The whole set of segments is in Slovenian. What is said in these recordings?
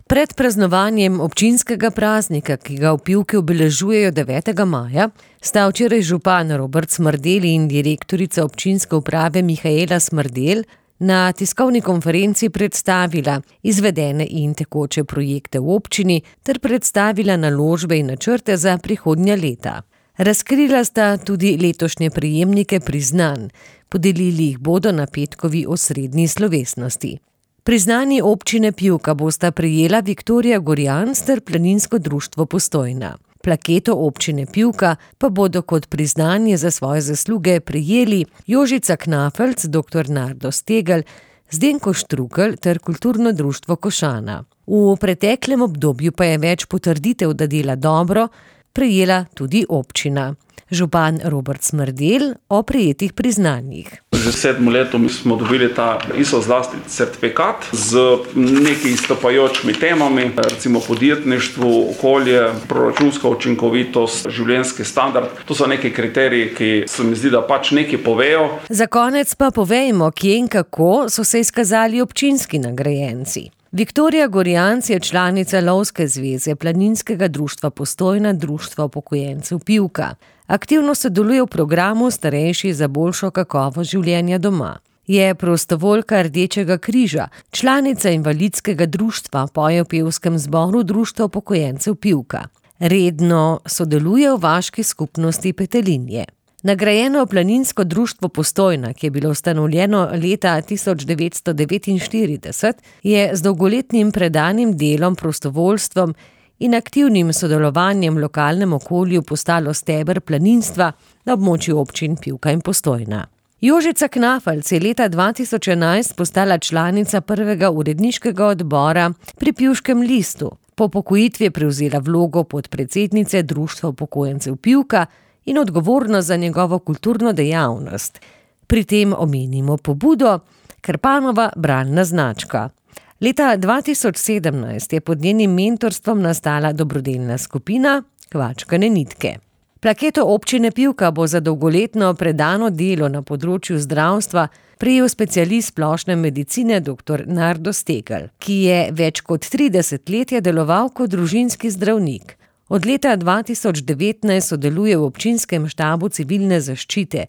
Pred praznovanjem občinskega praznika, ki ga v Pivki obeležujejo 9. maja, sta včeraj župan Robert Smrdelj in direktorica občinske uprave Mihaela Smrdelj na tiskovni konferenci predstavila izvedene in tekoče projekte v občini ter predstavila naložbe in načrte za prihodnja leta. Razkrila sta tudi letošnje prejemnike priznanj, podelili jih bodo na petkovi osrednji slovesnosti. Priznanji občine Pivka bosta prejela Viktorija Gorjans ter Planinsko društvo Postojna. Plaketo občine Pivka pa bodo kot priznanje za svoje zasluge prejeli Jožica Knafelc, dr. Nardo Stegelj, Zdenko Štrukelj ter Kulturno društvo Košana. V preteklem obdobju pa je več potrditev, da dela dobro, prejela tudi občina. Župan Robert Smrdelj o prejetih priznanjih. Že 7 letom smo dobili ta ISO zlasti certifikat z nekaj izstopajočimi temami, recimo podjetništvo, okolje, proračunska učinkovitost, življenjski standard. To so neki kriteriji, ki se mi zdi, da pač nekaj povejo. Za konec pa povejmo, kje in kako so se izkazali občinski nagrajenci. Viktorija Gorjans je članica Lovske zveze, Planinskega društva Postojna, Društva upokojencev Pivka. Aktivno sodeluje v programu Starejši za boljšo kakovost življenja doma. Je prostovoljka Rdečega križa, članica invalidskega društva, poje v pevskem zboru Društva upokojencev Pivka. Redno sodeluje v vaški skupnosti Petelinje. Nagrajeno Planinsko društvo Postojna, ki je bilo ustanovljeno leta 1949, je z dolgoletnim predanim delom, prostovoljstvom in aktivnim sodelovanjem v lokalnem okolju postalo steber planinstva na območju občin Pivka in Postojna. Jožica Knafelc je leta 2011 postala članica prvega uredniškega odbora pri Pivškem listu. Po upokojitvi je prevzela vlogo podpredsednice Društva upokojencev Pivka in odgovornost za njegovo kulturno dejavnost. Pri tem omenimo pobudo Krpanova bralna značka. Leta 2017 je pod njenim mentorstvom nastala dobrodelna skupina Kvačkane nitke. Plaketo občine Pivka bo za dolgoletno predano delo na področju zdravstva prejel specialist splošne medicine dr. Nardo Stegelj, ki je več kot 30 let deloval kot družinski zdravnik. Od leta 2019 sodeluje v občinskem štabu civilne zaščite.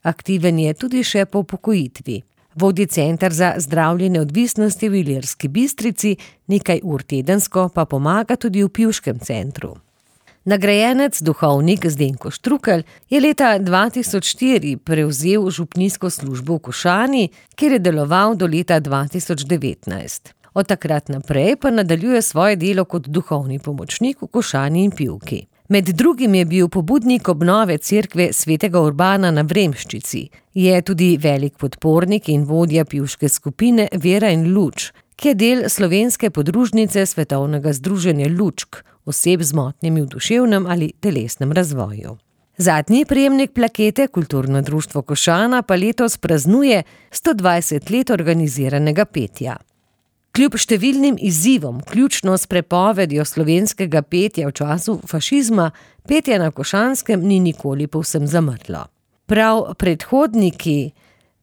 Aktiven je tudi še po upokojitvi. Vodi center za zdravljenje odvisnosti v Ilirski Bistrici, nekaj ur tedensko pa pomaga tudi v Pivškem centru. Nagrajenec, duhovnik Zdenko Štrukelj, je leta 2004 prevzel župnijsko službo v Košani, kjer je deloval do leta 2019. Od takrat naprej pa nadaljuje svoje delo kot duhovni pomočnik v Košani in Pivki. Med drugim je bil pobudnik obnove cerkve svetega Urbana na Vremščici. Je tudi velik podpornik in vodja pivške skupine Vera in luč, ki je del slovenske podružnice Svetovnega združenja Lučk, oseb z motnjami v duševnem ali telesnem razvoju. Zadnji prejemnik plakete, Kulturno društvo Košana, pa letos praznuje 120 let organiziranega petja. Kljub številnim izzivom, vključno s prepovedjo slovenskega petja v času fašizma, petje na Košanskem ni nikoli povsem zamrlo. Prav predhodniki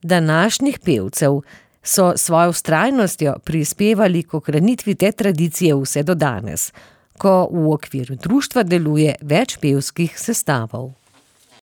današnjih pevcev so svojo vztrajnostjo prispevali k ohranitvi te tradicije vse do danes, ko v okviru društva deluje več pevskih sestavov.